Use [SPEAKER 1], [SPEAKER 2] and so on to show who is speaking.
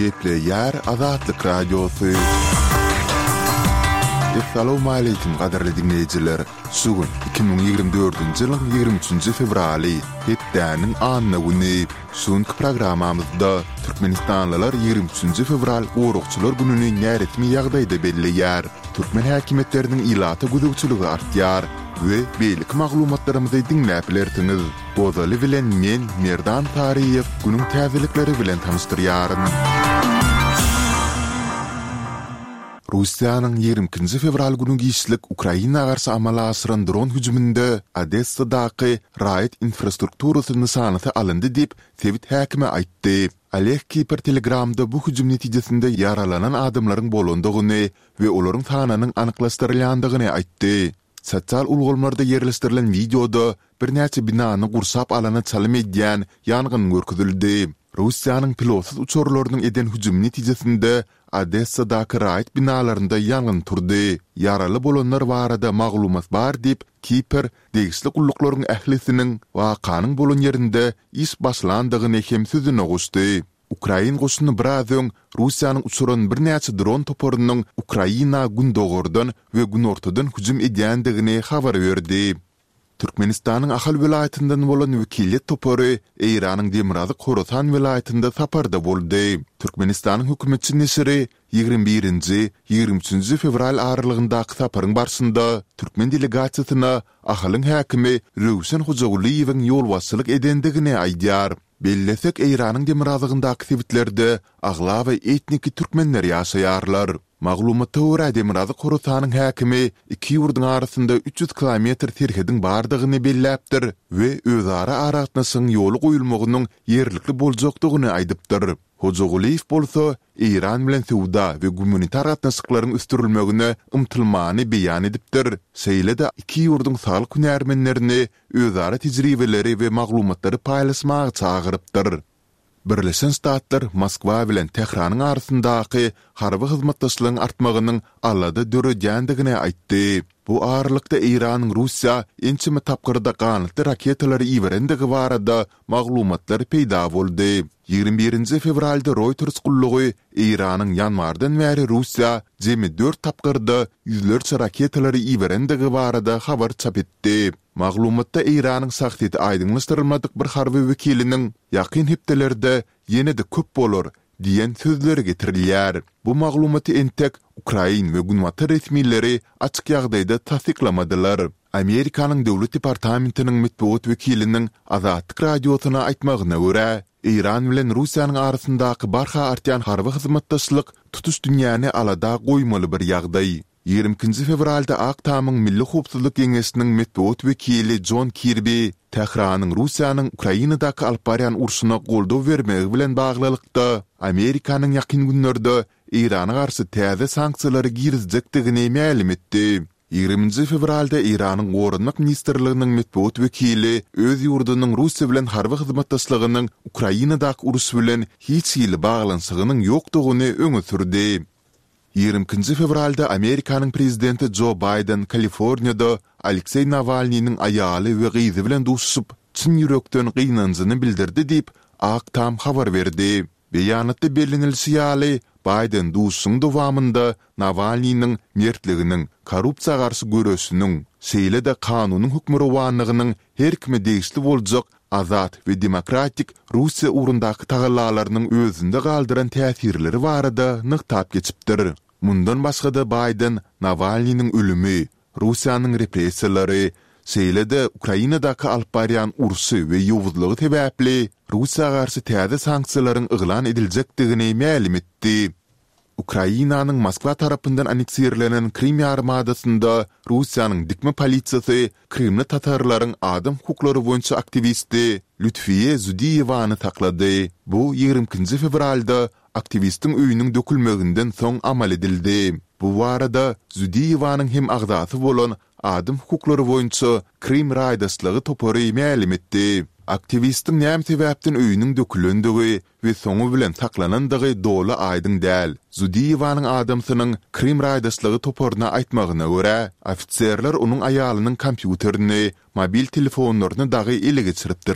[SPEAKER 1] Gepleýär Azatlyk Radiosy. Essalawmaleýkim gadyrly diňleýjiler! Şu gün 2024-nji ýylyň 23-nji fewraly, hepdäniň anna güni. Şu günki programmamyzda türkmenistanlylar 23-nji fewral Goragçylar gününi näresmi ýagdaýda belleýär. Türkmen häkimiýetleriniň ilata gözegçiligi artýar we beýleki maglumatlarymyzy diňläp bilersiňiz. Ozaly bilen men, Merdan Saryýew, günüň täzelikleri bilen tanyşdyrýaryn. Russiýanyň 22-nji fewral güni giçlik Ukraina garşy amala aşyran dron hüjüminde Odessadaky raýat infrastrukturasy nyşanasy alyndy diýip, sebit häkimi aýtdy. Oleg Kiper Telegramda bu hüjüm netijesinde ýaralanan adamlaryň bolandygyny we olaryň sanynyň anyklaşdyrylýandygyny aýtdy. Sosial ulgamlarda ýerleşdirilen wideoda birnäçe binany gurşap alana çalym edýän ýangyn görkezildi. Russiýanyň pilotsyz uçarlarynyň eden hüjümi netijesinde Odessadaky raýat binalarynda ýangyn turdy. Ýaraly bolanlar barada maglumat bar diýip, Kiper degişli gulluklaryň ählisiniň wakanyň bolan ýerinde iş başlandygyny hem sözüne goşdy. Ukrain goşuny biraz öň Russiýanyň uçuran birnäçe dron toparynyň Ukraina gündogardan we günortadan hüjüm edýändigini habar berdi. Türkmenistanyň Ahal welaýatyndan bolan wekiliýet topary Eýranyň Demirgazyk Horasan welaýatynda saparda boldy. Türkmenistanyň hökümetçi neşiri 21-nji, 23-nji fewral aralygyndaky saparyň barşynda türkmen delegasiýasyna Ahalyň häkimi Röwşen Hojagulyýewiň ýolbaşçylyk edendigini aýdýar. Bellesek, Eýranyň demirgazygyndaky sebitlerde aglaba etniki türkmenler ýaşaýarlar. Maglumata görä, Demirgazyk Horasanyň häkimi iki ýurduň arasynda 300 kilometr serhediň bardygyny belläpdir we özara aragatnaşygyň ýola goýulmagynyň ýerlikli boljakdygyny aýdypdyr. Hojagulyýew bolsa, Eýran bilen söwda we gumanitar gatnaşyklaryň ösdürilmegine ymtylmany beýan edipdir, şeýle-de iki ýurduň saglyk hünärmenlerini özara tejribeleri we maglumatlary paýlaşmaga çagyrypdyr. Birleşen Ştatlar Moskwa bilen Tähranyň arasyndaky harby hyzmatdaşlygyň artmagynyň alada döredýändigini aýtdy. Bu aralykda Eýranyň Russiýa ençeme tapgyrda ganatly raketalary iberendigi barada maglumatlar peýda boldy. 21-nji fewralda Reuters gullugy Eýranyň ýanwardan bäri Russiýa jemi dört tapgyrda ýüzlerçe raketalary iberendigi barada habar çap etdi. Maglumatda Eýranyň şahsyýeti aýdyňlaşdyrylmadyk bir harby wekiliniň ýakyn hepdelerde ýene-de köp bolar diýen sözleri getirilýär. Bu maglumaty entek ukrain we günbatar resmileri açyk ýagdaýda tassyklamadylar. Amerikanyň Döwlet departamentiniň metbugat wekiliniň Azatlyk Radiosyna aýtmagyna görä, Eýran bilen Russiýanyň arasyndaky barha artýan harby hyzmatdaşlyk tutuş dünýäni alada goýmaly bir ýagdaý. 22-nji fewralda Ak Tamyň Milli howpsuzlyk geňeşiniň metbugat wekili Jon Kirbi Tähranyň Russiýanyň Ukrainadaky alyp barýan urşuna goldaw bermegi bilen baglylykda, Amerikanyň ýakyn günlerde Eýrana garşy täze sanksiýalary girizjekdigini mälim etdi. 20-nji fewralda Eýranyň Goranmak ministrliginiň metbugat wekili öz ýurdunyň Russiýa bilen harby hyzmatdaşlygynyň Ukrainadaky uruş bilen hiç hili baglanyşygynyň ýokdugyny öňe sürdi. 22-nji fewralda Amerikanyň prezidenti Jo Baýden Kaliforniýada Alekseý Nawalnynyň aýaly we gyzy bilen duşuşyp, çyn ýürekden gynanjyny bildirdi diýip, Ak Tam habar berdi. Beýanatda bellenilişi ýaly, Baýden duşuşygyň dowamynda Nawalnynyň mertliginiň, korrupsiýa garşy göreşiniň, şeýle-de kanunyň hökmürowanlygynyň her kime degişli boljak azat we demokratik Russiýa ugrundaky tagallalarynyň özünde galdyran täsirleri barada nygtap geçipdir. Mundan başga-da Baýden Nawalnynyň ölümi, Russiýanyň repressiýalary, şeýle-de Ukrainadaky alyp barýan urşy we ýowuzlygy sebäpli Russiýa garşy täze sanksiýalaryň yglan ediljekdigini mälim etdi. Ukrainanyň Moskwa tarapyndan anneksirlenen Krym ýarymadasynda Russiýanyň dikme polisiýasy krymly tatarlaryň adam hukuklary boýunça aktiwisti Lütfiýe Zudiýewany saklady. Bu 22-nji fewralda aktiwistiň öýüniň dökülmeginden soň amal edildi. Bu barada Zudiýewanyň hem agzasy bolan adam hukuklary boýunça Krym raýdaşlygy topary mälim etdi. Aktiwistiň näme sebäpden öýüniň dökülendigi we soňy bilen saklanandygy doly aýdyň däl. Zudiýewanyň adamsynyň Krym raýdaşlygy toparyna aýtmagyna görä, ofiserler onuň aýalynyň kompýuterini, mobil telefonlaryny dagy ele geçiripdirler.